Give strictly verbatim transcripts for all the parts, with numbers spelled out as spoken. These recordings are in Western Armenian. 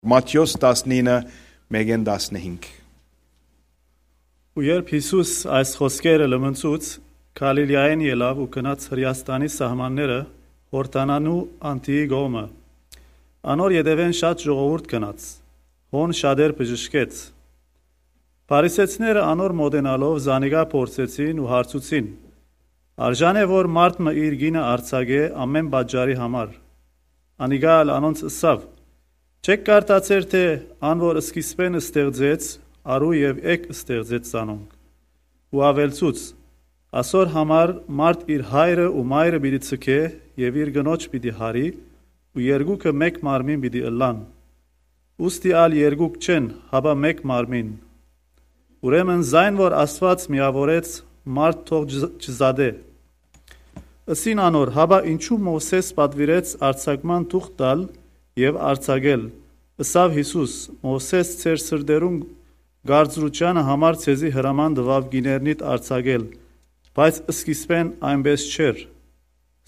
Մատթէոս տասնինը, մէկէն տասնհինգ։ Ու երբ Յիսուս այս խօսքերը լմնցուց, Գալիլիայէն ելաւ ու գնաց Հրեաստանի սահմանները, Յորդանանու անդիի կողմը։ Անոր ետեւէն շատ ժողովուրդ գնաց, հոն շատեր բժշկեց։ Փարիսեցիները անոր մօտենալով զանիկա փորձեցին ու հարցուցին. «Արժան է որ մարդ մը իր կինը արձակէ ամէն պատճառի համար»։ Անիկա ալ անոնց ըսաւ. «Չէք կարդացեր թէ ան որ սկիզբէն ստեղծեց, արու եւ էգ ստեղծեց զանոնք»։ Ու աւելցուց. «Ասոր համար մարդ իր հայրը ու մայրը պիտի ցկէ եւ իր կնոջ պիտի յարի, ու երկուքը մէկ մարմին պիտի ըլլան։ Ուստի ալ երկուք չեն, հապա մէկ մարմին։ Ուրեմն զայն որ Աստուած միաւորեց, մարդ թող չզ-, չզատէ»։ Ըսին անոր. «Հապա ինչու Մովսէս պատուիրեց արձակման թուղթ տալ եւ արձակել»։ Ըսաւ Յիսուս. «Մովսէս ձեր սրտերուն կարծրութեանը համար ձեզի հրաման տուաւ կիներնիդ արձակել, բայց սկիզբէն այնպէս չէր։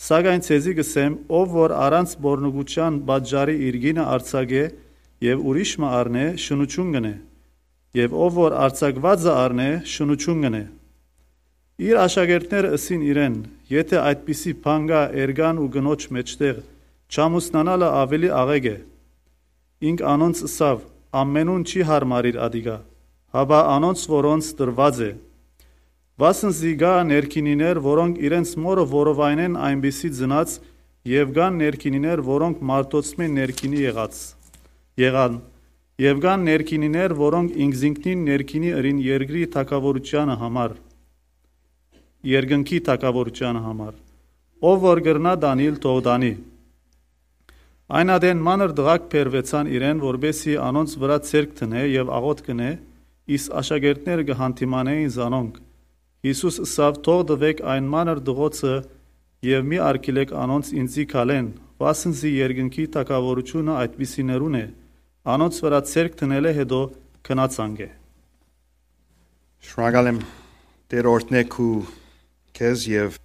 Սակայն ձեզի կ'ըսեմ, ով որ առանց պոռնկութեան պատճառի իր կինը արձակէ եւ ուրիշ մը առնէ, շնութիւն կ'ընէ, եւ ով որ արձակուածը առնէ, շնութիւն կ'ընէ»։ Իր աշակերտները ըսին իրեն. «Եթէ այդպիսի բան կայ էրկան ու կնոջ մէջտեղ, չամուսնանալը աւելի աղէկ է»։ Ինք անոնց ըսաւ. «Ամենուն չի յարմարիր ատիկա, հապա անոնց որոնց տրուած է։ Վասն զի կայ ներքինիներ, որոնք իրենց մօրը որովայնէն այնպիսի ծնած, եւ կան ներքինիներ, որոնք մարդոցմէ ներքինի եղած, եղան, եւ կան ներքինիներ, որոնք ինքզինքնին ներքինի ըրին երկրի թագաւորութեանը համար, երկնքի թագաւորութեանը համար։ Ով որ կրնայ տանիլ, թող տանի»։ Այն ատեն մանր տղաք բերուեցան իրեն, որպէս զի անոնց վրայ ձեռք դնէ եւ աղօթք ընէ, իսկ աշակերտները կը յանդիմանէին զանոնք։ Յիսուս ըսաւ. «Թող տուէք այն մանր տղոցը եւ մի արգիլէք անոնց ինծի քալեն, վասն զի երկնքի թագաւորութիւնը այդպիսիներուն է, անոնց վրայ ձեռք դնելէ յետոյ գնաց անկէ»։ Շնորհակալ եմ, Տէր օրհնէ քու քեզ եւ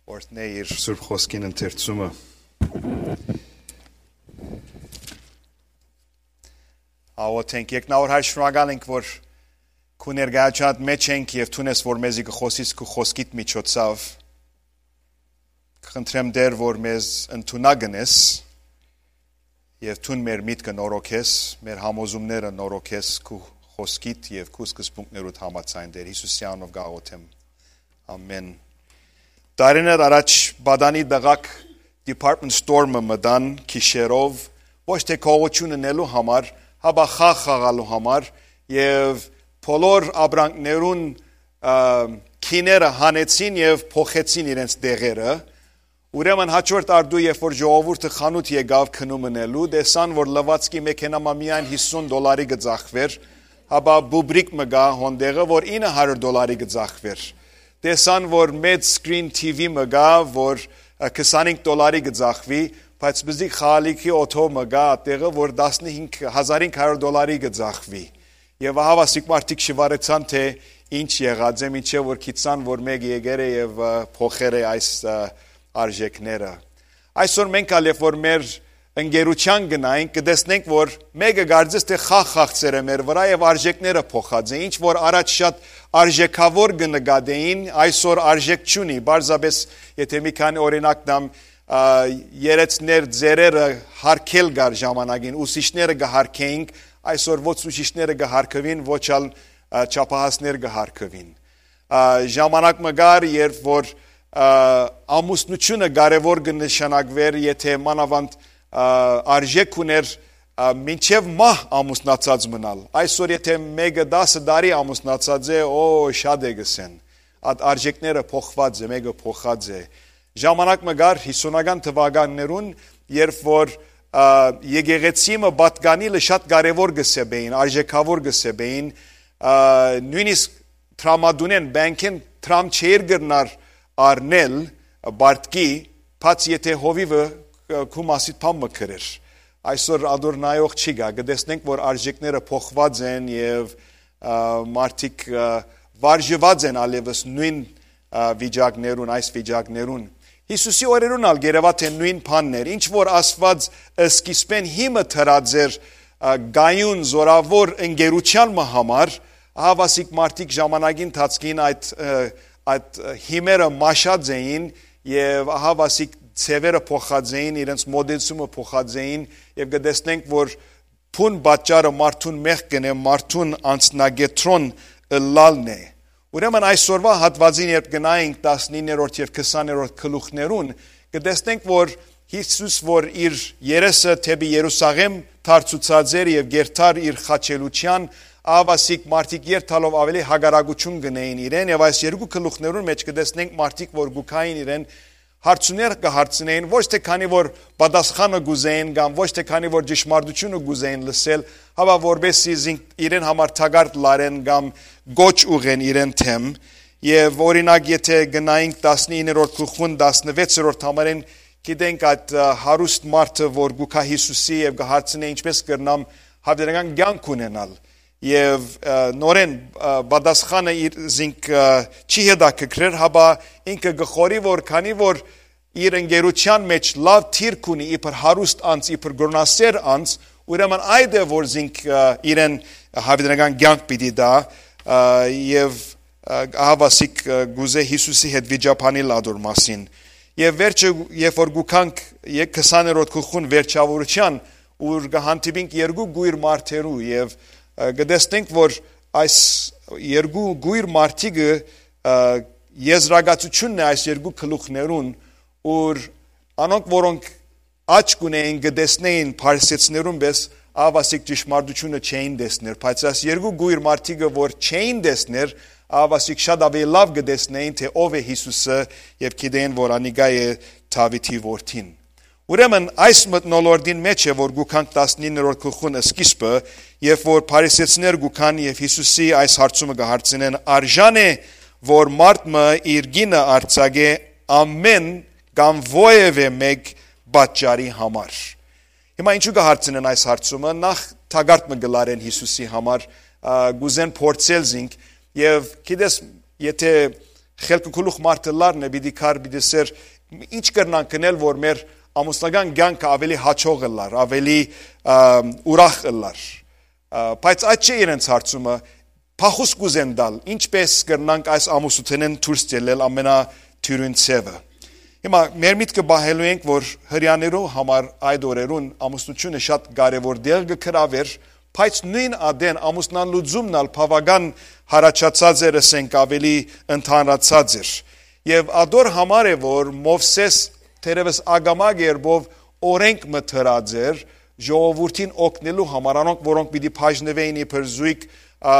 օրհնէ իր Սուրբ Խօսքին ընթերցումը։ Աղօթենք։ Երկնաւոր Հայր, շնորհակալ ենք, որ քու ներկայութեանդ մէջ ենք եւ դուն ես, որ մեզի կը խօսիս քու խօսքիդ միջոցով։ Կխնդրեմ, Տէր, որ մեզ ընդունակ ընես եւ դուն մեր միտքը նորոգես, մեր համոզումները նորոգես քու խօսքիդ եւ քու սկզբունքներուդ համաձայն, Տէր Յիսուսի անունով կ'աղօթեմ։ Ամեն։ Տարիներ առաջ պատանի տղաք department store-ը մտան գիշերով, ոչ թէ գողութիւն ընելու համար, հապա խաղ խաղալու համար, եւ բոլոր ապրանքներուն, ը, գիները հանեցին եւ փոխեցին իրենց տեղերը։ Ուրեմն հաջորդ արտու, երբ որ ժողովուրդը խանութ եկաւ գնում ընելու, տեսան, որ լուացքի մեքենայ մը միայն հիսուն դոլարի կը ծախուէր, հապա բուբրիկ մը կայ հոն տեղը, որ ինը հարիւր դոլարի կը ծախուէր։ Տեսան, որ մեծ screen T V մը կայ, որ, ը, քսանհինգ դոլարի կը ծախուի, բայց բզիկ խաղալիքի օթոյ մը կայ ատտեղը, որ տասնհինգ հազար հինգ հարիւր դոլարի կը ծախուի։ Եւ ահա, ասիկ, մարդիկ շուարեցան, թէ ինչ եղած է, մինչեւ որ գիտցան, որ մէկը եկեր է եւ, ը, փոխեր է այս, ը, արժեքները։ Այսօր մենք ալ, երբ որ մեր ընկերութեան գնայինք, կը տեսնենք, որ մէկը կարծես թէ խաղ խաղցեր է մեր վրայ եւ արժեքները փոխած է։ Ինչ որ առաջ շատ արժեքաւոր կը նկատէին, այսօր արժեք չունի։ Պարզապէս, եթէ մի քանի օրինակ տամ, ա, երեցներ, ծերերը հարկել կար ժամանակին, ուսուցիչները կը հարկեինք, այսօր ոչ ուսուցիչները կը հարկուին, ոչ ալ, ա, չափահասներ կը հարկուին։ Ա, ժամանակ մը կար, երբ որ, ա, ամուսնությունը կարեւոր կը նշանակվէր, եթէ մանաւանդ, ա, արժեք ունէր, ա, մինչեւ մահ ամուսնացած մնալ։ Այսօր եթէ մէկը տասը տարի ամուսնացած է, օ, շատ է կ'ըսեն։ Այդ արժեքները փոխված է, մէկը փոխած է։ Ժամանակ մը կար հիսունական թվականներուն, երբ որ, ա, եկեղեցի մը պատկանիլը շատ կարեւոր կը սեպէին, արժեքաւոր կը սեպէին, ա, նոյնիսկ տրամադունեն, բանկէն տրամ չէր կրնար առնել պարտքի, բաց եթէ հովիվը, ը, քու մասիդ բան մը գրեր։ Այսօր ադոր նայող չի գայ, կը տեսնենք, որ արժեքները փոխված են եւ, ա, մարդիկ, ա, վարժված են ալեւս նոյն, ա, վիճակներուն, այս վիճակներուն։ Յիսուսի օրերուն ալ գերեւա թէ նոյն բանն էր, ինչ որ Աստուած սկիզբէն հիմը դրած էր, ը, կայուն, զօրաւոր ընկերութեան մը համար, ահա ասիկ մարդիկ ժամանակի ընթացքին այդ, ը, այդ, ը, հիմերը մաշած էին եւ ահա ասիկ ձեւերը փոխած էին, իրենց մոտեցումը փոխած էին եւ կը տեսնենք, որ բուն պատճառը մարդուն մեղք կ'ընէ, մարդուն անձնակեդրոն ըլլալն է։ Ուրեմն այսօրվա հատուածին երբ գնայինք տասնիններորդ եւ քսաներորդ գլուխներուն, կը տեսնենք, որ Յիսուս, որ իր երեսը դէպի Երուսաղէմ դարձուցած էր եւ կ'երթար իր խաչելիութեան, ահա ասիկ մարդիկ երթալով աւելի հակառակութիւն կ'ընէին իրեն, եւ այս երկու գլուխներուն մէջ կը տեսնենք մարդիկ, որ կու գային իրեն, հարցումներ կը հարցնէին, ոչ թէ քանի որ պատասխանը կ'ուզէին կամ ոչ թէ քանի որ ճշմարտութիւնը կ'ուզէին լսել, հապա որպէս զի զինք իրեն համար թակարդ լարեն կամ կոչ ուղղեն իրեն դէմ։ Եւ օրինակ, եթէ գնայինք տասնիններորդ գլուխուն, տասնվեցերորդ համարէն, գիտենք այդ, ը, հարուստ մարդը, որ կու գայ Յիսուսի եւ կը հարցնէ. «Ինչպէս կրնամ հաւերական կեանք ունենալ»։ Եւ, ը, նորէն, ը, պատասխանը իր զինք, ը, չի հետաքրքրեր, հապա ինքը կը խորի, որ քանի որ իր ընկերութեան մէջ լաւ դիրք ունի իբր հարուստ անձ, իբր կրոնասեր անձ, ուրեմն այդ է, որ զինք, ը, իրեն հաւերական կեանք պիտի տայ, ը, եւ, ը, ահա ասիկ, ը, կ'ուզէ Յիսուսի հետ վիճաբանիլ ատոր մասին։ Եւ վերջը, երբ որ կու գանք ե-, քսաներորդ գլուխուն վերջաւորութեան, ուր կը հանդիպինք երկու կոյր մարդերու եւ, ը, կը տեսնենք, որ այս երկու կոյր մարդիկը, ը, եզրակացութիւնն է այս երկու գլուխներուն, ուր անոնք, որոնք աչք ունէին, կը տեսնէին փարիսեցիներուն պէս, ահա ասիկ ճշմարտութիւնը չէին տեսներ, բայց այս երկու կոյր մարդիկը, որ չէին տեսներ, ահա ասիկ շատ աւելի լաւ կը տեսնէին, թէ ով է Յիսուսը, եւ գիտէին, որ անիկա է Դաւիթի որդին։ Ուրեմն այս մթնոլորտին մէջ է, որ կու գանք տասնիններորդ գլուխուն սկիզբը, երբ որ փարիսեցիներ կու գան եւ Յիսուսի այս հարցումը կը հարցնեն. «Արժան է, որ մարդ մը իր կինը արձակէ ամէն կամ որեւէ մէկ պատճառի համար»։ Հիմա ինչու կը հարցնեն այս հարցումը, նախ թակարդ մը կը լարեն Յիսուսի համար, ա, կ'ուզեն փորձել զինք, եւ գիտես, եթէ խելքը գլուխ մարդը լարն է, պիտի քար, պիտի սեր, ինչ կրնանք կնել, որ մեր ամուսնական կյանքը աւելի հաճող ըլլար, աւելի, ա, ուրախ ըլլար։ Ա, բայց այդ չէ իրենց հարցումը, փախուս կ'ուզեն տալ, ինչպէս կրնանք այս ամուսնութենէն դուրս ելնել ամենատյուրին ձևը։ Հիմա մեր միտքը պահելու ենք, որ հրեաներու համար այդ օրերուն ամուսնութիւնը շատ կարեւոր տեղ կը գրաւէր, բայց նոյն ատեն ամուսնալուծումն ալ բաւական յառաջացած էր, ասենք, աւելի ընդհանրացած էր։ Եւ ատոր համար է, որ Մովսէս թերեւս ակամայ կերպով օրենք մը դրած էր ժողովուրդին օգնելու համար, անոնք, որոնք պիտի բաժնուէին իբր զոյգ, ա,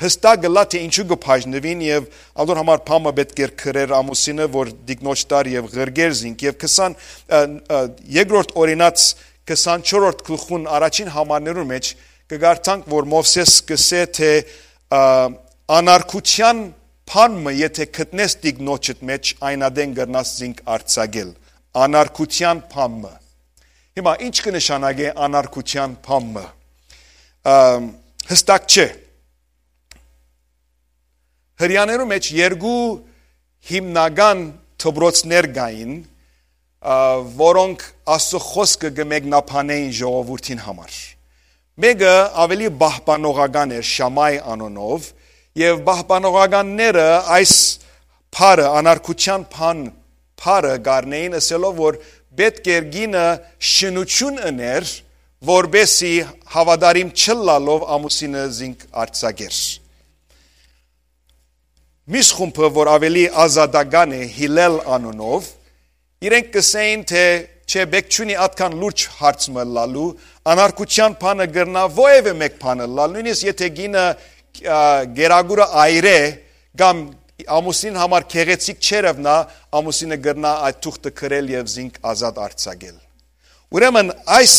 յստակ ըլլայ, թէ ինչու կը բաժնուին, եւ ատոր համար բան մը պէտք էր գրեր ամուսինը, որ տիկնոջ տար եւ ղրկեր զինք։ Եւ քսան, ա, ա, երկրորդ օրինաց քսանչորսերորդ գլխուն առաջին համարներուն մէջ կը կարդանք, որ Մովսէս կ'ըսէ, թէ, ա, «Անարգութեան բան մը եթէ գտնես տիկնոջդ մէջ, այն ատեն կրնաս զինք արձակել»։ Անարգութեան բան մը։ Հիմա ի՞նչ կը նշանակէ անարգութեան բան մը։ Ամ, յստակ չէ։ Հրեաներու մէջ երկու հիմնական դպրոցներ կային, ա, որոնք Աստծո խօսքը կը մեկնաբանէին ժողովուրդին համար։ Մէկը աւելի պահպանողական էր, Շամայ անունով, եւ պահպանողականները այս բառը, անարգութեան բան, բառը կ'առնէին, ըսելով, որ պէտք էր կինը շնութիւն ըներ, որպէս զի հաւատարիմ չըլլալով ամուսինը զինք արձակեր։ Միս խումբը, որ աւելի ազատական է, Հիլել անունով, իրենք կ'ըսէին, թէ չէ, պէտք չունի ատկան լուրջ հարց մը ըլլալու, անարգութեան բանը կրնայ որեւէ մէկ բան ըլլալ, նոյնիսկ եթէ կինը, ա, կերակուրը այր է, կամ ամուսինին համար գեղեցիկ չերեւնայ, ամուսինը կրնայ այդ թուղթը գրել եւ զինք ազատ արձակել։ Ուրեմն այս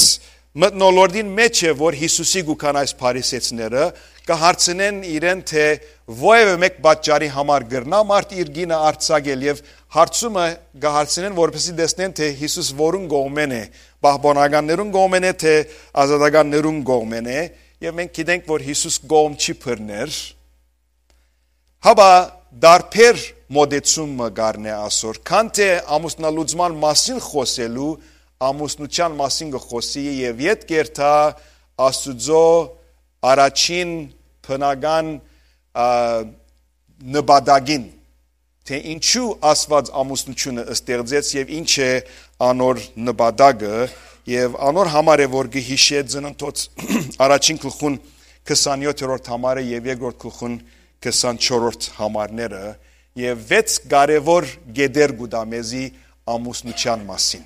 մթնոլորտին մէջ է, որ Յիսուսի կու գան այս փարիսեցիները, կը հարցնեն իրեն, թէ որեւէ մէկ պատճառի համար կրնայ մարդ իր կինը արձակել, եւ հարցումը կը հարցնեն, որպեսզի տեսնեն, թէ Յիսուս որուն կողմէն է, պահպանողականներուն կողմէն է, թէ ազատականներուն կողմէն է, եւ մենք գիտենք, որ Յիսուս կողմ չի բռներ, հապա տարբեր մոտեցում մը կ'առնէ ասոր, քան թէ ամուսնալուծման մասին խօսելու, ամուսնութեան մասին կը խօսի եւ ետ կերթայ Աստուծոյ առաջին բնական, ա, նպատակին, թէ ինչու Աստուած ամուսնութիւնը ստեղծեց եւ ինչ է անոր նպատակը, եւ անոր համար է, որ կը յիշէ Ծննդոց առաջին գլխուն քսանեթերորդ համարը եւ երկրորդ գլխուն քսանչորսերորդ համարները, եւ վեց կարեւոր կետեր կու տայ մեզի ամուսնութեան մասին։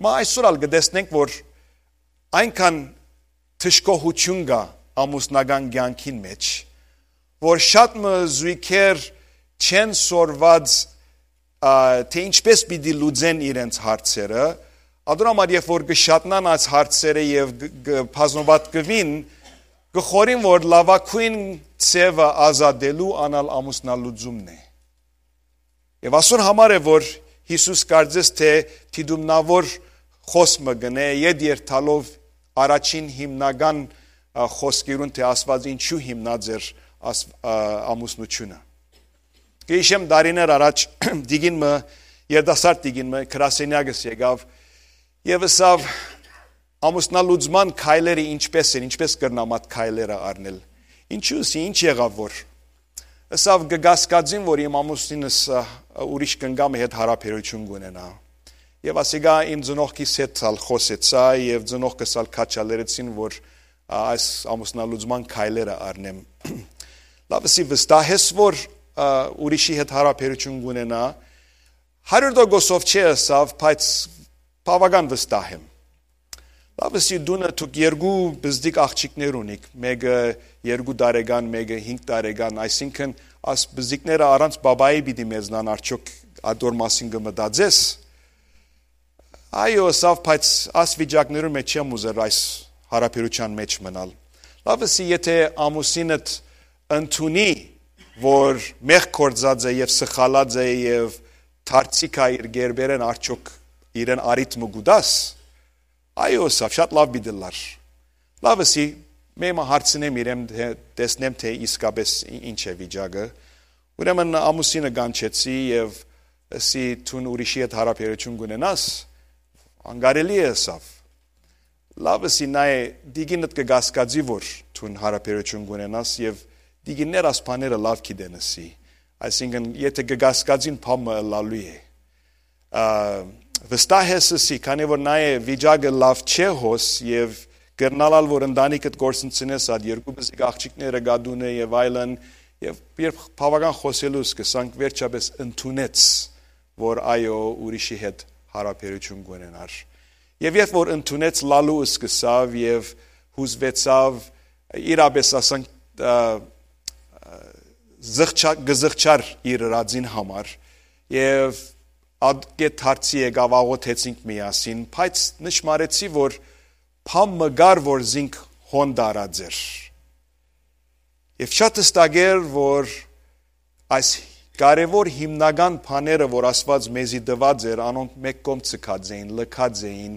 Հիմա այսօր ալ կը տեսնենք, որ այնքան դժգոհութիւն կայ ամուսնական կեանքին մէջ, որ շատ մը զոյգեր չեն սորված, ա, թէ ինչպէս պիտի լուծեն իրենց հարցերը, ադոր համար, երբ որ կը շատնան այս հարցերը եւ կ-, կը բազմապատկուին, կը խորին, որ լաւագոյն ձեւը ազատելու անալ ամուսնալուծումն է։ Եւ ասոր համար է, որ Յիսուս կարծես թէ դիտումնաւոր խօս մը կ'ընէ, ետ երթալով առաջին հիմնական, ա, խօսքերուն, թէ Աստուած ինչու հիմնած էր աս-, ա, ամուսնութիւնը։ Կը յիշեմ, տարիներ առաջ տիկին մը, երիտասարդ տիկին մը, գրասենեակս եկաւ եւ ըսաւ, ամուսնալուծման քայլերը ինչպէս են, ինչպէս կրնամ այդ քայլերը առնել։ Ինչու՞ ըսի, ինչ եղաւ որ։ Ըսաւ, կը կասկածին, որ իմ ամուսինս, ա, ուրիշ կնկամը հետ յարաբերութիւն կ'ունենայ։ Եւ ասիկա իմ ծնողքիս հետ ալ խօսեցայ, եւ ծնողքս ալ քաջալերեցին, որ, ա, այս ամուսնալուծման քայլերը առնեմ։ Լաւ, ըսի, վստահ ես, որ, ա, ուրիշի հետ յարաբերութիւն կ'ունենայ։ Հարիւր տոկոսով չէ, ըսաւ, բայց բաւական վստահ եմ։ Լաւ, ըսի, տունը դուք երկու պզտիկ աղջիկներ ունիք, մէկը երկու տարեկան, մէկը հինգ տարեկան, այսինքն՝ աս պզտիկները առանց պապայի պիտի մեզնան, արդյոք ադոր մասին կը մտածես։ Այո, ըսաւ, բայց աս վիճակներուն մէջ չեմ ուզեր այս յարաբերութեան մէջ մնալ։ Լաւ, ըսի, եթէ ամուսինդ ընդունի, որ մեղք գործած է եւ սխալած է եւ դարձի գայ իր կերպերէն, արդյոք իրեն առիթ մը կու տաս։ Այո, ըսաւ, շատ լաւ պիտի լար։ Լաւ, ըսի, մէ մը հարցնեմ իրեն, թէ, տեսնեմ, թէ իսկապէս ի-, ինչ է վիճակը։ Ուրեմն ամուսինը կանչեցի եւ ըսի, դուն ուրիշի հետ յարաբերութիւն կ'ունենաս, անկարելի է, ըսաւ։ Լաւ, ըսի, նայ, տիկինդ կը կասկածի, որ դուն յարաբերութիւն կ'ունենաս, եւ տիկիններ աս բաները լաւ գիտեն, ըսի։ Այսինքն, եթէ կը կասկածին, բան մը ըլլալու է։ Ա, վստահ ես, ըսի, քանի որ նայ, վիճակը լաւ չէ հոս, եւ կրնալ ալ, որ ընտանիքդ կորսնցնես, այդ երկու պզիկ աղջիկները գա տունը եւ այլն, եւ երբ բաւական խօսելու սկսանք, վերջապէս ընդունեց, որ այո, ուրիշի հետ յարաբերութիւն կ'ունենար։ Եւ երբ որ ընդունեց, լալու սկսաւ եւ յուզուեցաւ, իրապէս, ասենք, ա, ա, զղջա-, կը զղջար իր ըրածին համար, եւ ատկէ դարձի եկաւ, աղօթեցինք միասին, բայց նշմարեցի, որ բան մը կար, որ զինք հոն տարած էր։ Եւ շատ հստակ էր, որ այս կարեւոր հիմնական բաները, որ Աստուած մեզի տուած էր, անոնք մէկ կողմ ձգած էին, լքած էին,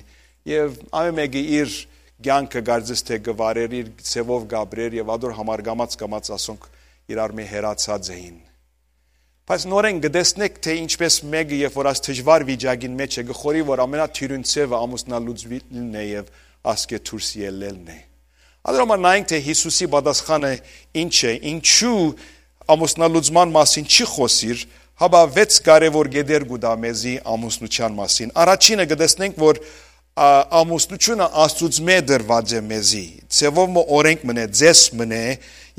եւ ամէն մէկը իր կեանքը կարծես թէ կը վարէր, իր ձեւով կ'ապրէր, եւ ադոր համար կամաց-կամաց ասոնք իրար մէ հեռացած էին։ Բայց նորէն կը տեսնէք, թէ ինչպէս մէկը, երբ որ այս դժուար վիճակին մէջ է, կը խորի, որ ամենաթիւրին ձեւը ամուսնալուծուիլն է եւ ասկէ դուրս ելլելն է։ Ադոր համար նայենք, թէ Յիսուսի պատասխանը ինչ է, ինչու ամուսնալուծման մասին չի խօսիր, հապա վեց կարեւոր կետեր կու տայ մեզի ամուսնութեան մասին։ Առաջինը կը տեսնենք, որ, ա, ամուսնութիւնը Աստուծմէ տրուած է մեզի, ձեւով մը օրենք մըն է, ձեզ մըն է,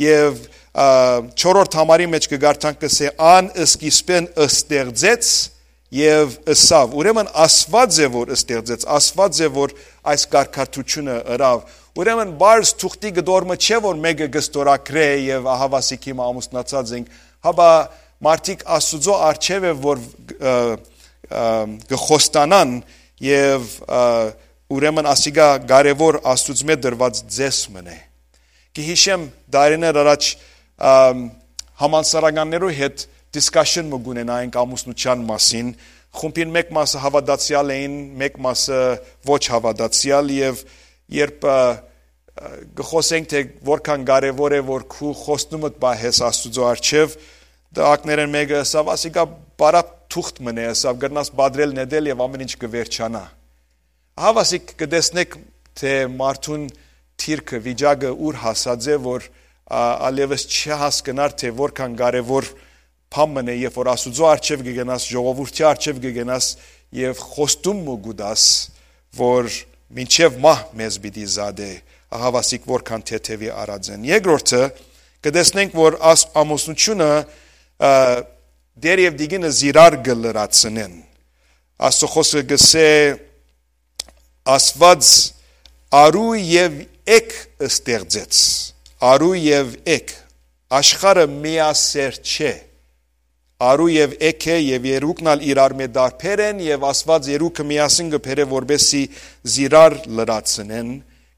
եւ, ա, չորրորդ համարի մէջ կը կարդանք, կ'ըսէ, «Ան սկիզբէն ստեղծեց եւ ըսաւ»։ Ուրեմն Աստուած է, որ ստեղծեց, Աստուած է, որ այս կարգադրութիւնը ըրաւ։ Ուրեմն պարզ թուղթի կտոր մը չէ, որ մէկը կը ստորագրէ եւ ահաւասիկ հիմա ամուսնացած ենք, հապա մարդիկ Աստուծոյ առջեւ է, որ, ը, ը, կը խոստանան եւ, ը, ուրեմն ասիկա կարեւոր Աստուծմէ տրուած ձեզ մըն է։ Կը յիշեմ, տարիներ առաջ, ամ, համալսարաններու հետ discussion մը կունենայինք ամուսնութեան մասին։ Խումբին մէկ մասը հաւատացեալ էին, մէկ մասը ոչ հաւատացեալ, եւ երբ, ը, ը, կը խօսենք, թէ որքան կարեւոր է, որ քու խոստումդ պահես Աստուծոյ առջեւ, տղաքներէն մէկը ըսաւ, ասիկա պարապ թուղթ մըն է, ըսաւ, կրնաս պատրել նետել եւ ամեն ինչ կը վերջանայ։ Ահա ասիկ կը տեսնեք, թէ մարդուն դիրքը, վիճակը ուր հասած է, որ, ա, ալեւս չի հասկնար, թե որքան կարեւոր բան մըն է, երբ որ Աստուծոյ առջեւ կը գնաս, ժողովուրդի առջեւ կը գնաս եւ խոստում մը կու տաս, որ մինչեւ մահ մեզ պիտի զատէ, ահա ասիկ որքան թեթեւի առած են։ Երկրորդը, կը տեսնենք, որ աս-, ամուսնութիւնը, ա, դեր եւ դիգինը զիրար կը լրացնեն։ Աստուծոյ խօսքը կ'ըսէ, Աստուած արու եւ էգ ստեղծեց։ Արու եւ էգ։ Աշխարհը միասեռ չէ։ Արու եւ էգ է, եւ երկուքն ալ իրար մէ տարբեր են, եւ Աստուած երկուքը միասին կը բերէ, որպեսզի զիրար լրացնեն,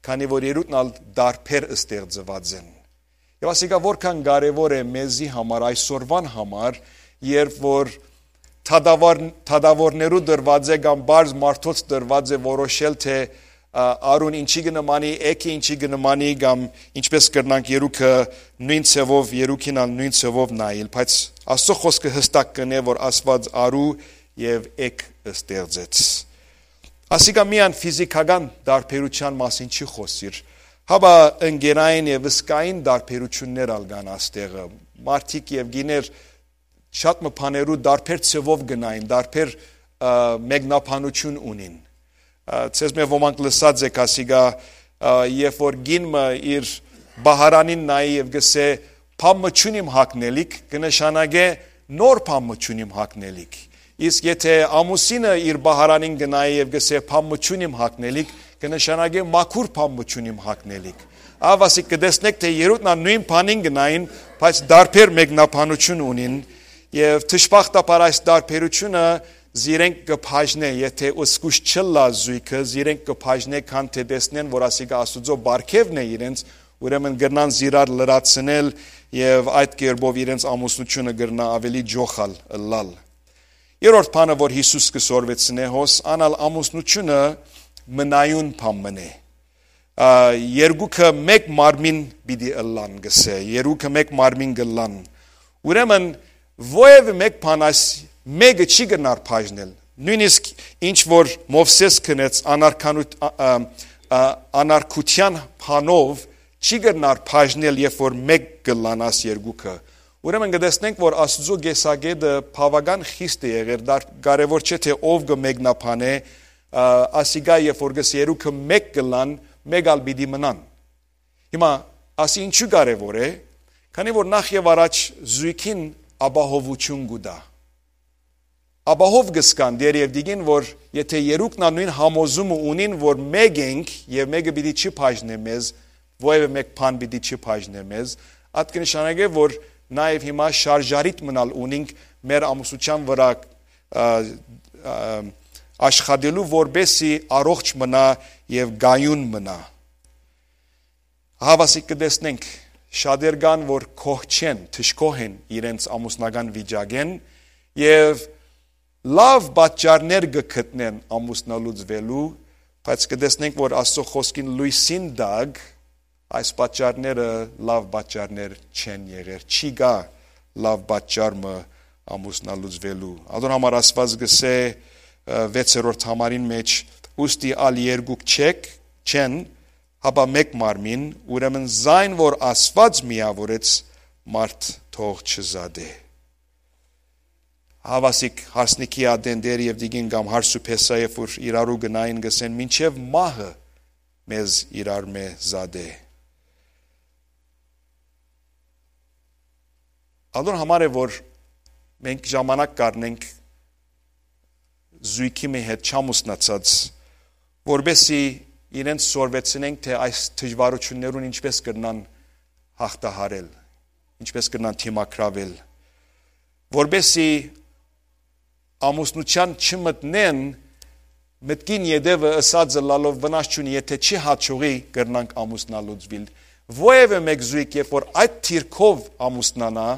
քանի որ երկուքն ալ տարբեր ստեղծուած են։ Եւ ասիկա որքան կարեւոր է մեզի համար, այսօրվան համար, երբ որ թադաւոր-, թադաւորներու տրուած է կամ պարզ մարդոց տրուած է որոշել, թե, ա, արուն ինչի կը նմանի, էգը ինչի կը նմանի, կամ ինչպես կրնանք երկուքը նոյն ձեւով, երկուքին ալ նոյն ձեւով նայել, բայց Աստուծոյ խօսքը յստակ կ'ընէ, որ Աստուած արու եւ էգ ստեղծեց։ Ասիկա միայն ֆիզիքական տարբերութեան մասին չի խօսիր, հապա ընկերային եւ զգային տարբերութիւններ ալ կան աստեղը։ Մարդիկ եւ գիներ շատ մը բաներու տարբեր ձեւով կը նային, տարբեր, ա, մեկնաբանութիւն ունին։ Ա, ձեզմէ ոմանք լսած էք ասիկա, ա, երբ որ գին մը իր պահարանին նայի եւ կ'ըսէ, «Բան մը չունիմ հագնելիք», կը նշանակէ, «Նոր բան մը չունիմ հագնելիք»։ Իսկ եթէ ամուսինը իր պահարանին կը նայի եւ կ'ըսէ, «Բան մը չունիմ հագնելիք», կը նշանակէ, «Մաքուր բան մը չունիմ հագնելիք»։ Ահա ասիկ կը տեսնէք, թէ երկուքն ալ նոյն բանին կը նային, բայց տարբեր մեկնաբանութիւն ունին, եւ դժբախտաբար այս տարբերութիւնը զիրենք կը բաժնէ, եթէ զգուշ չըլլայ զոյգը, զիրենք կը բաժնէ, քան թէ տեսնեն, որ ասիկա Աստուծոյ պարգեւն է իրենց, ուրեմն կրնան զիրար լրացնել եւ այդ կերպով իրենց ամուսնութիւնը կրնայ աւելի ջոխալ ըլլալ։ Երրորդ բանը, որ Յիսուս կը սորվեցնէ հոս, ան ալ ամուսնութիւնը մնայուն բան մըն է։ Ա, երկուքը մէկ մարմին պիտի ըլլան, կ'ըսէ, երկուքը մէկ մարմին կ'ըլլան։ Ուրեմն, որեւէ մէկ բան այս մէկը չի կրնար բաժնել։ Նոյնիսկ ինչ որ Մովսէս քնեց անարքանութ-, ա, ա, ա, անարքութեան բանով չի կրնար բաժնել, երբ որ մէկ կ'ըլլան աս երկուքը։ Ուրեմն կը տեսնենք, որ Աստուծոյ կեսակէտը բաւական խիստ է եղեր, դար-, կարեւոր չէ, թէ ով կը մեկնաբանէ, ա, ասիկա, երբ որ կ'ըսէ, «Երկուքը մէկ կ'ըլլան, մէկ ալ պիտի մնան»։ Հիմա, ասի ինչու կարեւոր է, քանի որ նախ եւ առաջ զոյգին ապահովութիւն կու տայ։ Ապահով կը զգան Տէր եւ Տիկին, որ եթէ երկուքն ալ նոյն համոզումը ունին, որ մէկ ենք եւ մէկը պիտի չի բաժնէ մեզ, որեւէ մէկ բան պիտի չի բաժնէ մեզ, այդ կը նշանակէ, որ նաեւ հիմա շարժառիթ մնալ ունինք մեր ամուսնութեան վրայ, ա, ա, աշխատելու, որպեսզի առողջ մնայ եւ կայուն մնայ։ Ահա ասիկ կը տեսնենք, շատեր կան, որ գոհ չեն, դժգոհ են իրենց ամուսնական վիճակէն եւ լաւ պատճառներ կը գտնեն ամուսնալուծուելու, բայց կը տեսնենք, որ Աստուծոյ խօսքին լոյսին տակ այս պատճառները լաւ պատճառներ չեն եղեր, չի գայ լաւ պատճառ մը ամուսնալուծուելու։ Ատոր համար Աստուած կ'ըսէ, ը, վեցերորդ համարին մէջ, «Ուստի ալ երկուք չեք, չեն, հապա մէկ մարմին, ուրեմն զայն որ Աստուած միաւորեց, մարդ թող չզատէ»։ Ահա ասիկ հարսնիքի ատեն Տէր եւ Տիկին կամ հարս ու փեսայ, երբ որ իրարու գնային, կ'ըսեն, «Մինչեւ մահը մեզ իրար մէ զատէ»։ Ատոր համար է, որ մենք ժամանակ կ'առնենք զոյգի մը հետ չամուսնացած, որպեսզի իրենց սորվեցնենք, թէ այս դժվարութիւններուն ինչպես կրնան յաղթահարել, ինչպես կրնան դիմագրավել, որպեսզի ամուսնութեան չմտնեն, մտքին ետեւը ըսած ըլլալով վնաս չունի, եթէ չի հաջողի, կրնանք ամուսնալուծուիլ։ Որեւէ մէկ զոյգ, երբ որ այդ դիրքով ամուսնանայ,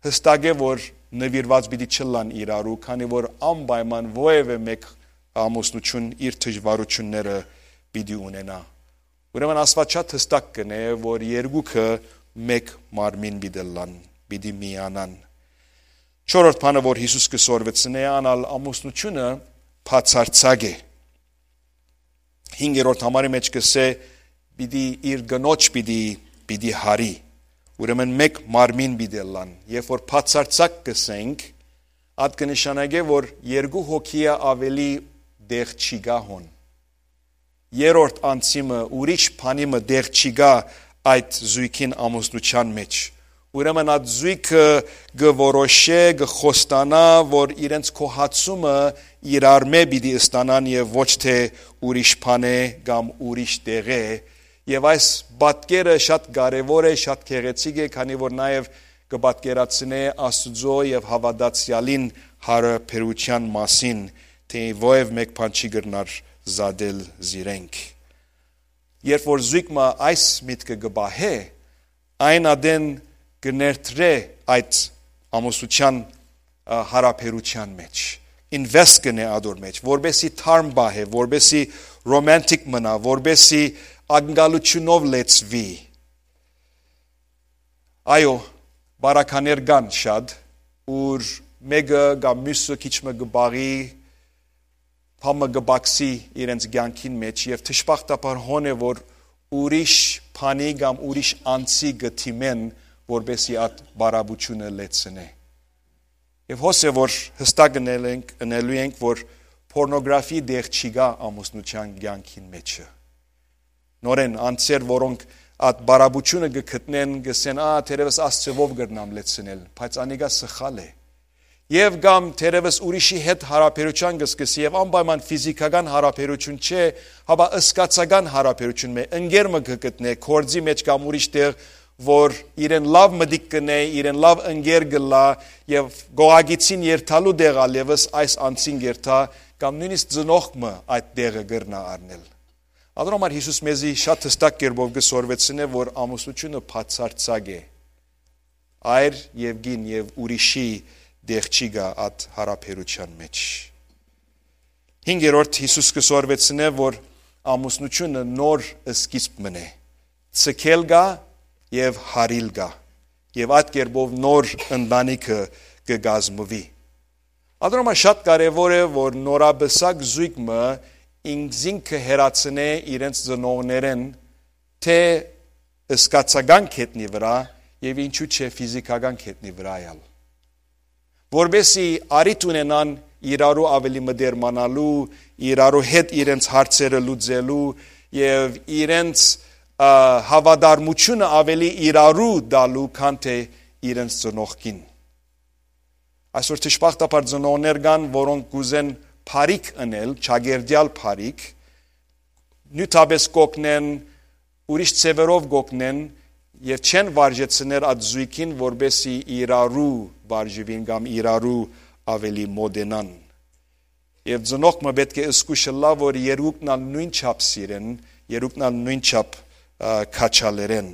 յստակ է, որ նուիրուած պիտի չըլլան իրարու, քանի որ անպայման որեւէ մէկ ամուսնութիւն իր դժվարութիւնները պիտի ունենայ։ Ուրեմն Աստուած շատ յստակ կ'ընէ, որ երկուքը մէկ մարմին պիտի ըլլան, պիտի միանան։ Չորրորդ բանը, որ Յիսուս կը սորվեցնէ, ան ալ ամուսնութիւնը բացարձակ է։ Հինգերորդ համարի մէջ կ'ըսէ, պիտի, իր կնոջ պիտի, պիտի հարի։ Ուրեմն մէկ մարմին պիտի ըլլան։ Երբ որ բացարձակ կ'ըսենք, ատ կը նշանակէ, որ երկու հոգիը աւելի տեղ չի գայ հոն։ Երրորդ անձի մը, ուրիշ բանի մը տեղ չի գայ այդ զոյգին ամուսնութեան մէջ։ Ուրեմն այդ զոյգը կը որոշէ, կը խոստանայ, որ իրենց գոհացումը իրարմէ պիտի ստանան եւ ոչ թէ ուրիշ բանէ կամ ուրիշ տեղէ։ Եւ այս պատկերը շատ կարեւոր է, շատ գեղեցիկ է, քանի որ նաեւ կը պատկերացնէ Աստուծոյ եւ հաւատացեալին յարաբերութեան մասին, թէ որեւէ մէկ բան չի կրնար զատել զիրենք։ Երբ որ զոյգ մը այս միտքը կը պահէ, այն ատեն կը ներդրէ այդ ամուսնութեան, ը, յարաբերութեան մէջ, invest կ'ընէ ատոր մէջ, որպեսզի թարմ պահէ, որպեսզի ռոմանտիկ մնայ, որպեսզի ակնկալութիւնով լեցուի։ Այո, պարագաներ կան շատ, ուր մէկը կամ միւսը քիչ մը կը պաղի, բան մը կը պակսի իրենց կեանքին մէջ եւ դժբախտաբար հոն է, որ ուրիշ բանի կամ ուրիշ անձի կը դիմեն, որպեսզի այդ պարապութիւնը լեցնէ։ Եւ հոս է, որ յստակ ընել ենք, ընելու ենք, որ պորնոգրաֆի տեղ չի գայ ամուսնութեան կեանքին մէջը։ Նորեն անձեր, որոնք այդ պարապութիւնը կը գտնեն, կ'ըսեն, «Ա, թերեւս այս ձեւով կրնամ լեցնել», բայց անիկա սխալ է։ Եւ կամ թերեւս ուրիշի հետ յարաբերութեան կը սկսի եւ անպայման ֆիզիքական յարաբերութիւն չէ, հապա զգացական յարաբերութիւն մը, ընկեր մը կը գտնէ, գործի մէջ կամ ուրիշ տեղ, որ իրեն լաւ մտիկ կ'ընէ, իրեն լաւ ընկեր կ'ըլլայ եւ գողագիծին երթալու տեղ ալ եւս այս անձին կ'երթայ, կամ նոյնիսկ ծնողք մը այդ տեղը կրնայ առնել։ Ատոր համար Յիսուս մեզի շատ յստակ կերպով կը սորվեցնէ, որ ամուսնութիւնը բացարձակ է։ Այր եւ կին եւ ուրիշի տեղ չի գայ այդ յարաբերութեան մէջ։ Հինգերորդ, Յիսուս կը սորվեցնէ, որ ամուսնութիւնը նոր սկիզբ մըն է, ցկել գայ եւ հարիլ գայ, եւ այդ կերպով նոր ընտանիքը կը կազմուի։ Ատոր համար շատ կարեւոր է, որ նորապսակ զոյգ մը ինքզինքը հեռացնէ իրենց ծնողներէն, թէ զգացական գետնի վրայ եւ ինչու՞ չէ ֆիզիքական գետնի վրայ ալ, որպեսզի առիթ ունենան իրարու ավելի մտերմանալու, իրարու հետ իրենց հարցերը լուծելու եւ իրենց, ը, հաւատարմութիւնը ավելի իրարու տալու, քան թէ իրենց ծնողքին։ Այսօր դժբախտաբար ծնողներ կան, որոնք կ'ուզեն բարիք ընել, ճակերտեալ բարիք, նիւթապէս կ'օգնեն, ուրիշ ձեւերով կ'օգնեն եւ չեն վարժեցներ այդ զոյգին, որպեսզի իրարու վարժուին կամ իրարու ավելի մոտենան։ Եւ ծնողք մը պէտք է զգուշ ըլլայ, որ երկուքն ալ նոյնչափ սիրեն, երկուքն ալ նոյնչափ, ը, քաջալերեն։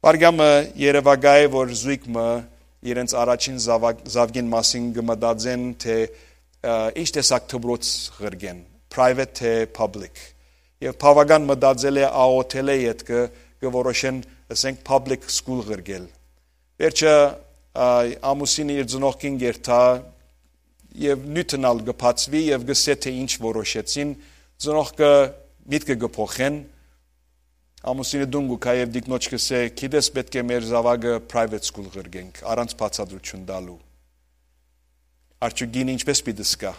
Վարկյանը երեւակայ է, որ զոյգ մը իրենց առաջին զաւակ-, զաւկին մասին կը մտածեն, թէ, ը, ինչ տեսակ դպրոց ղրկեն, private թէ public։ Եւ բաւական մտածել է, աղօթել է, ետքը կը որոշեն, ըսենք, public school ղրկել։ Վերջը, ա, ամուսինը իր ծնողքին կ'երթայ եւ նիւթն ալ կը բացուի եւ կ'ըսէ, թէ ինչ որոշեցին, ծնողքը միտքը կը փոխեն, ամուսինը տուն կու գայ եւ տիկնոջ կ'ըսէ, «Գիտես, պէտք է մեր զաւակը private school ղրկենք, առանց բացատրութիւն տալու»։ Արդյոք կինը ինչպէս պիտի զգայ։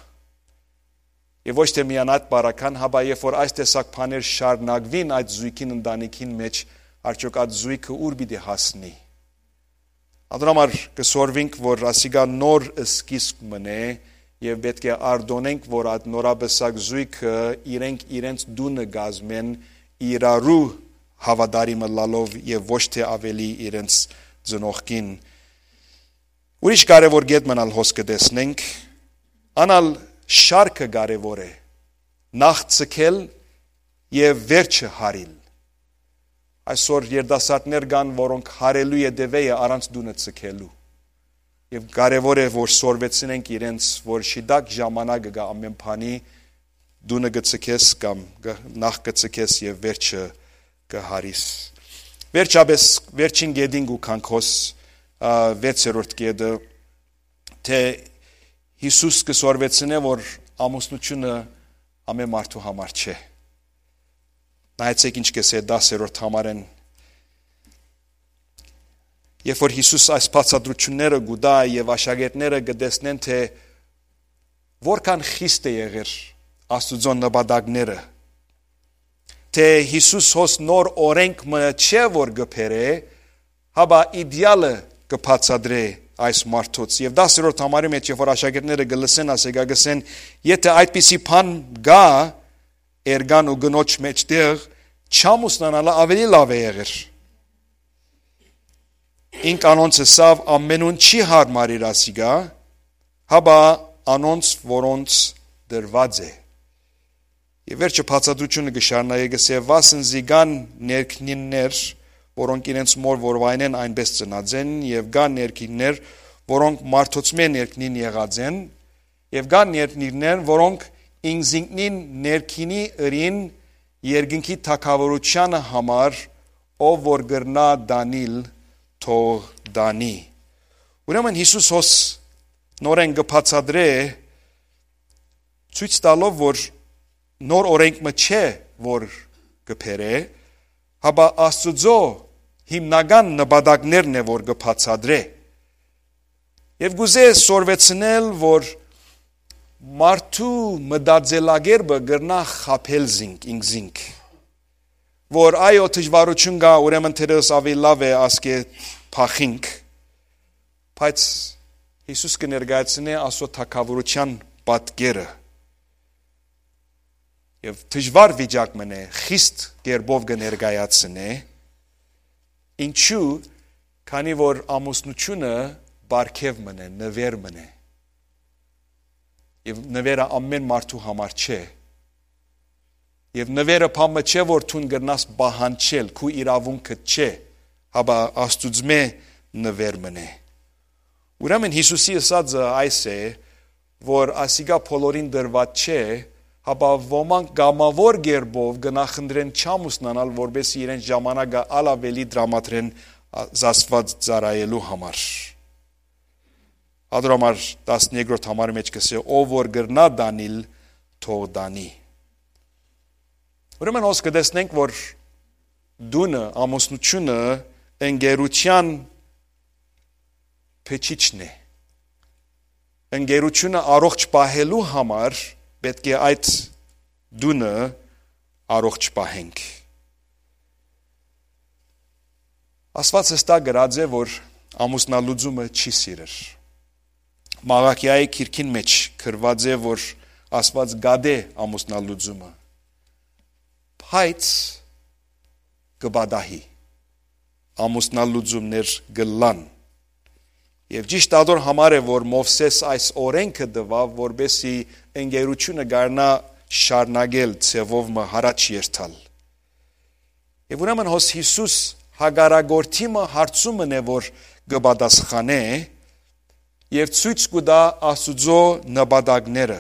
Եւ ոչ թէ միայն այդ պարագան, հապա երբ որ այս տեսակ բաներ շարունակուին այդ զոյգին ընտանիքին մէջ, արդյոք այդ զոյգը ո՞ւր պիտի հասնի։ Ատոր համար կը սորվինք, որ ասիկա նոր սկիզբ մըն է եւ պէտք է արտօնենք, որ այդ նորապսակ զոյգը իրենք իրենց տունը կազմեն իրարու հաւատարիմ ըլլալով եւ ոչ թէ աւելի իրենց ծնողքին։ Ուրիշ կարեւոր կետ մը ալ հոս կը տեսնենք, ան ալ շարքը կարեւոր է, նախ ցկել եւ վերջը հարիլ։ Այսօր երիտասարդներ կան, որոնք հարելու ետեւեյը առանց տունը ցկելու։ Եւ կարեւոր է, որ սորվեցնենք իրենց, որ շիտակ ժամանակը կայ ամէն բանի, տունը կը ցկես կամ կը, նախ կը ցկես եւ վերջը կը հարիս։ Վերջապէս, վերջին կետին կու քանքոս, ա, վեցերորդ կետը, թէ Յիսուս կը սորվեցնէ, որ ամուսնութիւնը ամէն մարդու համար չէ։ Նայեցէք ինչ կ'ըսէ դասերորդ համարէն։ Երբ որ Յիսուս այս բացատրութիւնները կու տայ եւ աշակերտները կը տեսնեն, թէ որքան խիստ է եղեր Աստուծոյ նպատակները, թէ Յիսուս հոս նոր օրենք մը չէ որ կը բերէ, հապա իդեալը կը բացատրէ այս մարդոց։ Եւ դասերորդ համարի մէջ, երբ որ աշակերտները կը լսեն, ասիկա կ'ըսեն, «Եթէ այդպիսի բան կայ էրկան ու կնոջ մէջտեղ, չամուսնանալը աւելի լաւ է եղեր»։ Ինք անոնց ըսաւ. «Ամենուն չի յարմարիր ասիկա, հապա անոնց, որոնց տրուած է»։ Եւ վերջը բացատրութիւնը կը շարունակէ, կ'ըսէ. «Վասն զի կան ներքնիններ, որոնք իրենց մօր որ վայնեն այնպէս ծնած են, եւ կան ներքիններ, որոնք մարդոցմէ ներքնին եղած են, եւ կան ներքիններ, որոնք ինքզինքնին ներքինի ըրին երկնքի թագաւորութեանը համար, ով որ կրնայ տանիլ, թող տանի»։ Ուրեմն Յիսուս հոս նորէն կը բացատրէ, ցոյց տալով որ նոր օրենք մը չէ որ կը բերէ, հապա Աստուծոյ հիմնական նպատակներն է որ կը բացատրէ։ Եւ կ'ուզէ սորվեցնել որ մարդու մտածելակերպը կրնայ խաբել զինք, ինքզինք, որ այո, դժուարութիւն կայ, ուրեմն թերեւս աւելի լաւ է ասկէ փախինք, բայց Յիսուս կը ներկայացնէ Աստուծոյ թագաւորութեան պատկերը։ Եւ դժուար վիճակ մըն է, խիստ կերպով կը ներկայացնէ։ Ինչու՞, քանի որ ամուսնութիւնը պարգեւ մըն է, նուէր մըն է։ Եւ նուէրը ամեն մարդու համար չէ։ Եւ նուէրը բան մը չէ որ դուն կրնաս պահանջել, քու իրաւունքդ չէ, հապա Աստուծմէ նուէր մըն է։ Ուրեմն Յիսուսի ըսածը այս է, որ ասիկա բոլորին տրուած չէ, հապա ոմանք կամաւոր կերպով կը նախընտրեն չամուսնանալ, որպէս զի իրենց ժամանակը ալ աւելի տրամադրեն Աստուած ծառայելու համար։ Ատոր համար տասներկրորդ համարի մէջ կ'ըսէ. «Ով որ կրնայ տանիլ, թող տանի»։ Ուրեմն հոս կը տեսնենք որ տունը, ամուսնութիւնը ընկերութեան փչիչն է։ Ընկերութիւնը առողջ պահելու համար պէտք է այդ տունը առողջ պահենք։ Աստուած հստակ գրած է որ ամուսնալուծումը չի սիրեր։ Մաղաքիայի գիրքին մէջ գրուած է որ Աստուած կատէ ամուսնալուծումը, բայց կը պատահի, ամուսնալուծումներ կ'ըլլան։ Եւ ճիշդ ատոր համար է որ Մովսէս այս օրենքը տուաւ, որպէս զի ընկերութիւնը կարնայ շարունակել, ձեւով մը յառաջ երթալ։ Եւ ուրեմն հոս Յիսուս հակառակորդի մը հարցումն է որ կը պատասխանէ, եւ ցոյց կու տայ Աստուծոյ նպատակները։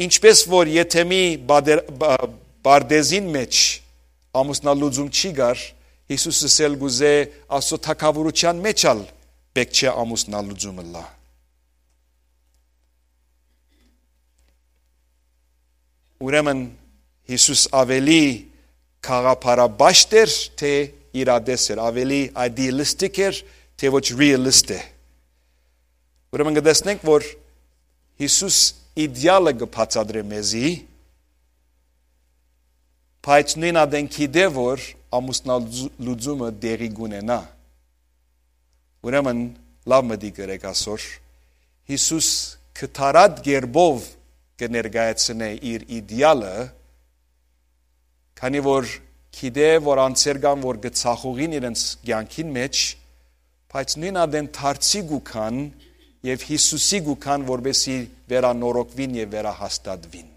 Ինչպէս որ եթէ մի բادر-, բ-, պարտեզին մէջ ամուսնալուծում չի գար, Յիսուս ըսել կ'ուզէ Աստուծոյ թագաւորութեան մէջ ալ պէտք չէ ամուսնալուծում ըլլայ։ Ուրեմն Յիսուս աւելի գաղափարապաշտ էր, թէ իրատես էր, աւելի idealistic էր, թէ ոչ realist է։ Ուրեմն կը տեսնենք որ Յիսուս իդեալը կը բացատրէ մեզի, բայց նոյն ատեն գիտէ որ ամուսնալուծումը տեղի կունենայ։ Ուրեմն լաւ մտիկ ըրեք ասոր, Յիսուս կտարատ կերպով կը ներկայացնէ իր իդեալը, քանի որ գիտէ որ անձեր կան որ կը ցախողին իրենց կեանքին մէջ, բայց նոյն ատեն դարձի կու գան եւ Յիսուսի կու գան որպեսզի վերանորոգուին եւ վերահաստատուին։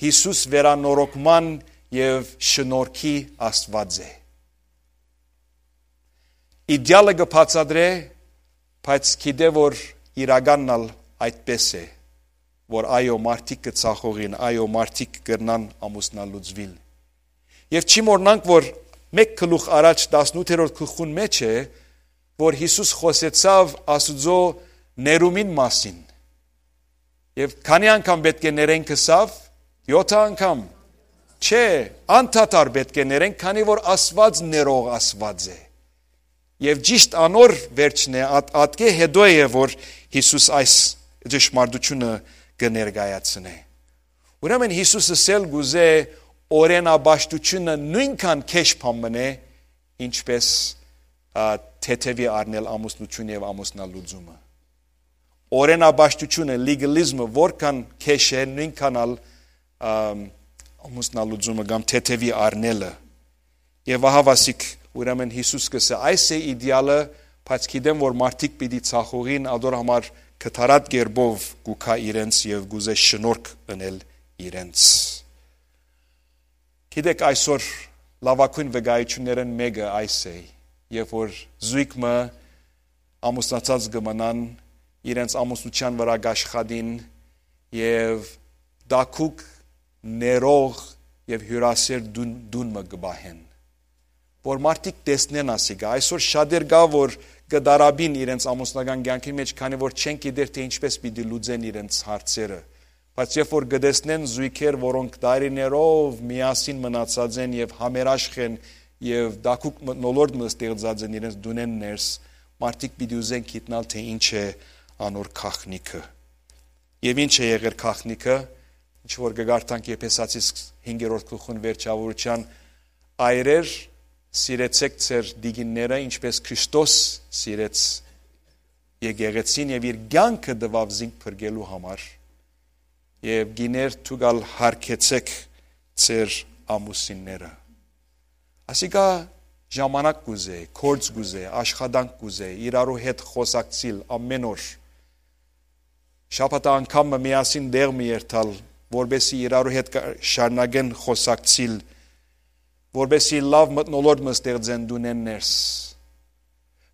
Յիսուս վերանորոգման եւ շնորհքի Աստուած է։ Իդեալը կը բացատրէ, բայց գիտէ որ իրականն ալ այդպէս է, որ այո, մարդիկ կը ցախողին, այո, մարդիկ կրնան ամուսնալուծուիլ։ Եւ չի մոռնանք որ մէկ գլուխ առաջ տասնութերորդ գլխուն մէջ է որ Յիսուս խօսեցաւ Աստուծոյ ներումին մասին։ Եւ քանի՞ անգամ պէտք է ներենք ըսաւ։ Եօթը անգամ։ Չէ, անդադար պէտք է ներենք, քանի որ Աստուած ներող Աստուած է։ Եւ ճիշդ անոր վերջն է, ատ-, ատկէ հետո է, որ Յիսուս այս ճշմարտութիւնը կը ներկայացնէ։ Ուրեմն Յիսուս ըսել կ'ուզէ, օրենապաշտութիւնը նոյնքան քեշ բան մըն է, ինչպէս, ա, թեթեւի առնել ամուսնութիւնը եւ ամուսնալուծումը։ Օրենապաշտութիւնը, լեգալիզմը որքան քեշ է, նոյնքան ալ, ամ, ամուսնալուծումը կամ թեթեւի առնելը։ Եւ ահա վասիկ, ուրեմն Յիսուս կ'ըսէ, այս է իդեալը, բայց գիտեմ, որ մարդիկ պիտի ցախողին, ադոր համար կտարատ կերպով կու գայ իրենց եւ կ'ուզէ շնորհք ընել իրենց։ Գիտեք, այսօր լաւագոյն վկայութիւններէն մէկը այս է, երբ որ զոյգ մը ամուսնացած կը մնան, իրենց ամուսնութեան վրայ կ'աշխատին եւ տաքուկ, ներող եւ հիւրասեր տուն, տուն մը կը պահեն, որ մարդիկ տեսնեն ասիկա։ Այսօր շատեր կայ, որ կը տառապին իրենց ամուսնական կեանքին մէջ, քանի որ չեն գիտեր, թէ ինչպէս պիտի լուծեն իրենց հարցերը։ Բայց երբ որ կը տեսնեն զոյգեր, որոնք դարիներով միասին մնացած են եւ համերաշխ են եւ տաքուկ մթնոլորտ մը ստեղծած են իրենց տունէն ներս, մարդիկ պիտի ուզեն գիտնալ, թէ ինչ է անոր գաղտնիքը։ Եւ ինչ է եղեր գաղտնիքը, ինչ որ կը կարդանք Եփեսացիս հինգերորդ գլխուն վերջաւորութեան. «Այրեր, սիրեցէք ձեր տիկինները, ինչպէս Քրիստոս սիրեց եկեղեցին եւ իր կեանքը տուաւ զինք փրկելու համար։ Եւ կիներ, դուք ալ յարգեցէք ձեր ամուսինները»։ Ասիկա ժամանակ կ'ուզէ, գործ կ'ուզէ, աշխատանք կ'ուզէ, իրարու հետ խօսակցիլ ամէն օր, շաբաթը անգամ մը միասին տեղ մը երթալ, որպէսզի իրարու հետ կա-, շարունակեն խօսակցիլ, որպէսզի լաւ մթնոլորտ մը ստեղծեն տունէն ներս,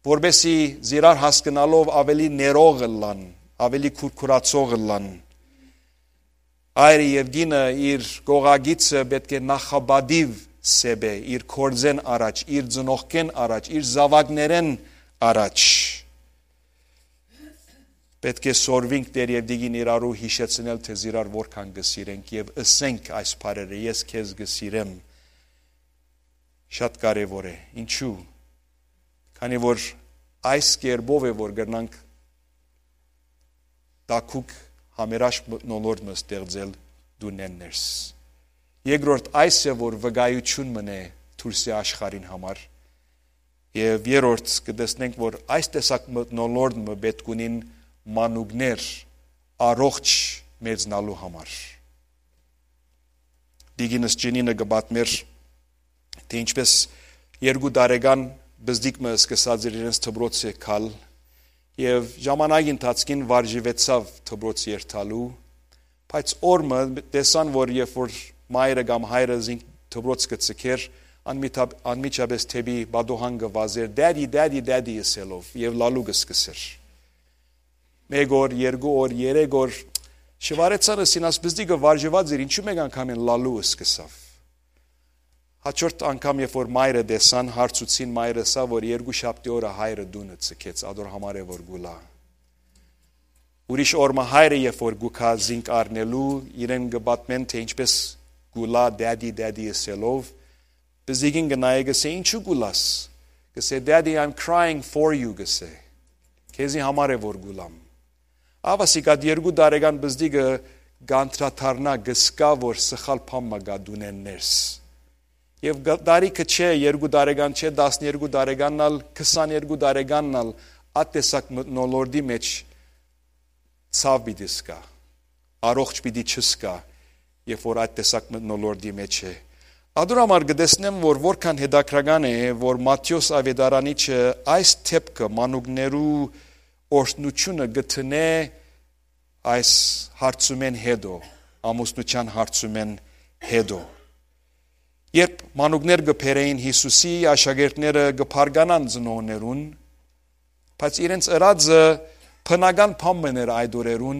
որպէսզի զիրար հասկնալով աւելի ներող ըլլան, աւելի քուրքուրացող ըլլան։ Այրը եւ կինը, իր կողակիցը պէտք է նախապատիւ սեպ է, իր գործէն առաջ, իր ծնողքէն առաջ, իր զաւակներէն առաջ։ Պէտք է սորվինք, Տէր եւ Տիկին, իրարու յիշեցնել, թէ զիրար որքան կը սիրենք, եւ ըսենք այս բառերը. «Ես քեզ կը սիրեմ»։ Շատ կարեւոր է։ Ինչու՞։ Քանի որ այս կերպով է, որ կրնանք տաքուկ, համերաշխ մթնոլորտ մը ստեղծել տունէն ներս։ Երկրորդ, այս է, որ վկայութիւն մըն է դուրսի աշխարհին համար։ Եւ երրորդ, կը տեսնենք, որ այս տեսակ մթնոլորտ մը պէտք ունին մանուկներ առողջ մեծնալու համար։ Տիկինս Ջինինը կը պատմեր, թէ ինչպէս երկու տարեկան պզտիկ մը սկսած էր իրենց դպրոցը գալ եւ ժամանակի ընթացքին վարժուեցաւ դպրոց երթալու, բայց օր մը տեսան, որ երբ որ մայրը կամ հայրը զինք դպրոց կը ձգէր, անմիջապ-, անմիջապէս դէպի պատուհան կը վազէր, «Daddy, daddy, daddy» ըսելով, եւ լալու կը սկսէր։ Մէկ օր, երկու օր, երեք օր, շուարեցան, ըսին, «Աս պզտիկը վարժուած էր, ինչու՞ մէկ անգամէն լալու սկսաւ»։ Հաջորդ անգամ, երբ որ մայրը տեսան, հարցուցին, մայրը ըսաւ, որ երկու շաբթի օրը հայրը տունը ձգեց, ադոր համար է, որ կու լայ։ Ուրիշ օր մը հայրը, երբ որ կու գայ զինք առնելու, իրեն կը պատմեն, թէ ինչպէս կու լայ «Daddy, daddy» ըսելով, պզտիկին կը նայէ, կ'ըսէ, «Ինչու կու լաս»։ Կ'ըսէ, «Daddy, I'm crying for you», կ'ըսէ, «քեզի համար է, որ կու լամ»։ Ահա սիկա, ատ երկու տարեկան պզտիկը կ'անդրադառնայ, կ'զգայ, որ սխալ բան մը կայ տունէն ներս։ Եւ գ-, տարիքը չէ, երկու տարեկան չէ, տասներկու տարեկանն ալ, քսաներկու տարեկանն ալ, ատ տեսակ մթնոլորտի մէջ ցաւ պիտի զգայ, առողջ պիտի չզգայ, երբ որ այդ տեսակ մթնոլորտի մէջ է։ Ադոր համար կը տեսնեմ, որ որքան հետաքրական է, որ Մատթէոս աւետարանիչը այս դէպքը, մանուկներու օրհնութիւնը կը դնէ այս հարցումէն հետո, ամուսնութեան հարցումէն հետո։ Երբ մանուկներ կը բերէին Յիսուսի, աշակերտները կը բարկանան ծնողներուն, բայց իրենց ըրածը բնական բան մըն էր այդ օրերուն,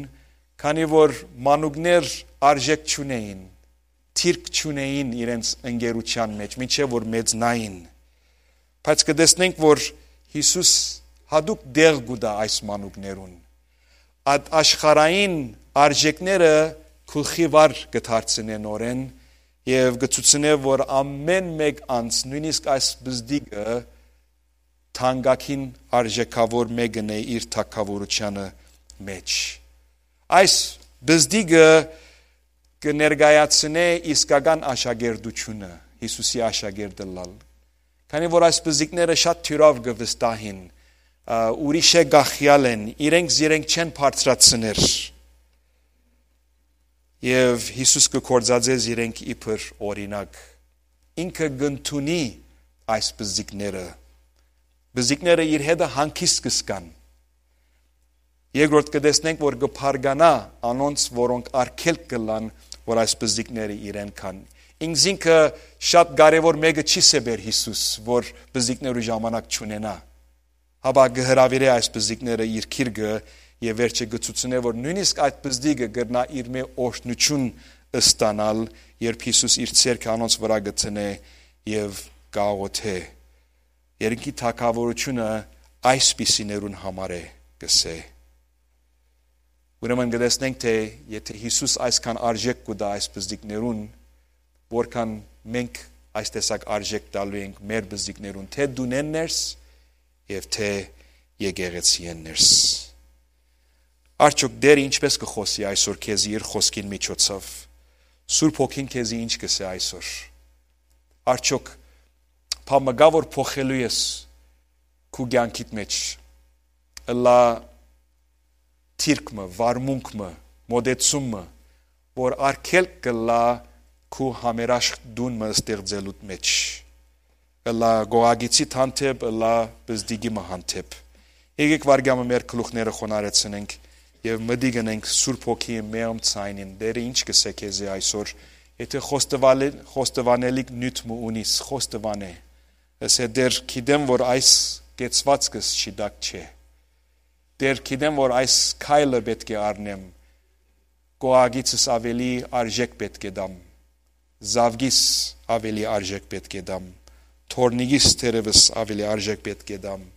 քանի որ մանուկներ արժէք չունէին, դիրք չունէին իրենց ընկերութեան մէջ, մինչեւ որ մեծնային։ Բայց կը տեսնենք, որ Յիսուս յատուկ տեղ կու տայ այս մանուկներուն։ Այդ աշխարհային արժէքները գլխի վար կը դարձնեն օրեն, Եւ կը ցուցնէ, որ ամէն մէկ անձ, նոյնիսկ այս պզտիկը, թանկագին արժէքաւոր մէկն է իր թագաւորութեանը մէջ։ Այս պզտիկը կը ներկայացնէ իսկական աշակերտությունը, Յիսուսի աշակերտը լալ։ Քանի որ այս պզտիկները շատ թիւրաւ կը վստահին, ա, ուրիշէ գախեալ են, իրենք զիրենք չեն բարձրացներ։ Եւ Յիսուս կը գործածէ զիրենք իբր օրինակ։ Ինքը կ'ընդունի այս պզտիկները։ Պզտիկները իր հետը հանգիստ կը զգան։ Երկրորդ, կը տեսնենք, որ կը բարգանայ անոնց, որոնք արգելք կ'ըլլան, որ այս պզտիկները իրեն կան։ Ինքզինքը շատ կարեւոր մէկը չի սեպեր Յիսուս, որ պզտիկներու ժամանակ չունենայ։ Հապա կը հրաւիրէ այս պզտիկները իր գիրկը եւ վերջը կը ցուցնէ, որ նոյնիսկ այդ պզտիկը կրնայ իրմէ օրհնութիւն ստանալ, երբ Յիսուս իր ձեռքը անոնց վրայ կը դնէ եւ կ'աղօթէ։ Երկնքի թագաւորութիւնը այսպիսիներուն համար է, կ'ըսէ։ Ուրեմն կը տեսնենք, թէ եթէ Յիսուս այսքան արժէք կու տայ այս պզտիկներուն, որքան մենք այս տեսակ արժէք տալու ենք մեր պզտիկներուն, թէ տունէն ներս եւ թէ եկեղեցիէն ներս։ Արդյոք Տէրը ինչպէս կը խօսի այսօր քեզի իր խօսքին միջոցով։ Սուրբ Հոգին քեզի ինչ կ'ըսէ այսօր։ Արդյոք բան մը կա, որ փոխելու ես քու կեանքիդ մէջ, ըլլայ դիրք մը, վարմունք մը, մոտեցում մը, որ արգելք կ'ըլլայ քու համերաշխ տուն մը ստեղծելուդ մէջ, ըլլայ կողակիցիդ հանդէպ, ըլլայ պզտիկի մը հանդէպ։ Եկեք վարկյանը մեր գլուխները խոնարհեցնենք եւ մտիկ ընենք Սուրբ Հոգիի մեղմ ձայնին։ Տէրը ինչ կ'ըսէ քեզի այսօր, եթէ խոստովալի-, խոստովանելիք նիւթ մը ունիս, խոստովանէ։ Ըսէ, Տէր, գիտեմ, որ այս կեցուածքս շիտակ չէ։ Տէր, գիտեմ, որ այս քայլը պէտք է առնեմ, կողակիցս աւելի արժէք պէտք է տամ, զաւկիս աւելի արժէք պէտք է տամ, թոռնիկիս թերեւս աւելի արժէք պէտք է տամ։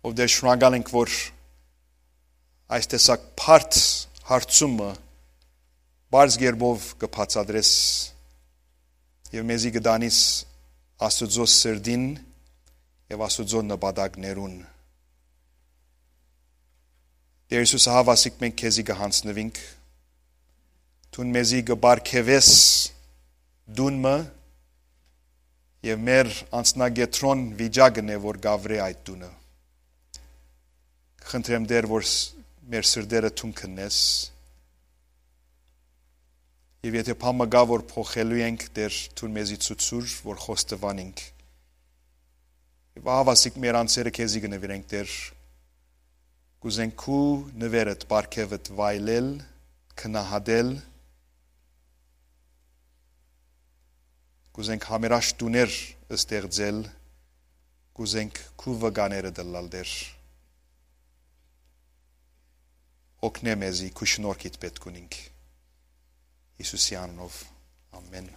Ով Տէր, շնորհակալ ենք, որ այս տեսակ բարդ հարցումը պարզ կերպով կը բացատրես եւ մեզի կը տանիս Աստուծոյ սրտին եւ Աստուծոյ նպատակներուն։ Տէր Յիսուս, ահա ասիկ մենք քեզի կը յանձնուինք, դուն մեզի կը պարգեւես տուն մը եւ մեր անձնակեդրոն վիճակն է, որ կ'ավրէ այդ տունը։ Խնդրեմ, Տէր, որ ս-, մեր սրտերը դուն քննես։ Եւ եթէ բան մը կայ, որ փոխելու ենք, Տէր, դուն մեզի ցուցուր, որ խոստովանենք։ Եւ ահա ասիկ մեր անձերը քեզի կը նուիրենք, Տէր։ Կ'ուզենք քու նուերդ, պարգեւդ վայելել, գնահատել, կ'ուզենք համերաշխ տուներ ստեղծել, կ'ուզենք քու վկաները ըլլալ, Տէր։ Օգնէ մեզի, քու շնորհքիդ պէտք ունինք։ Յիսուսի անունով, ամէն։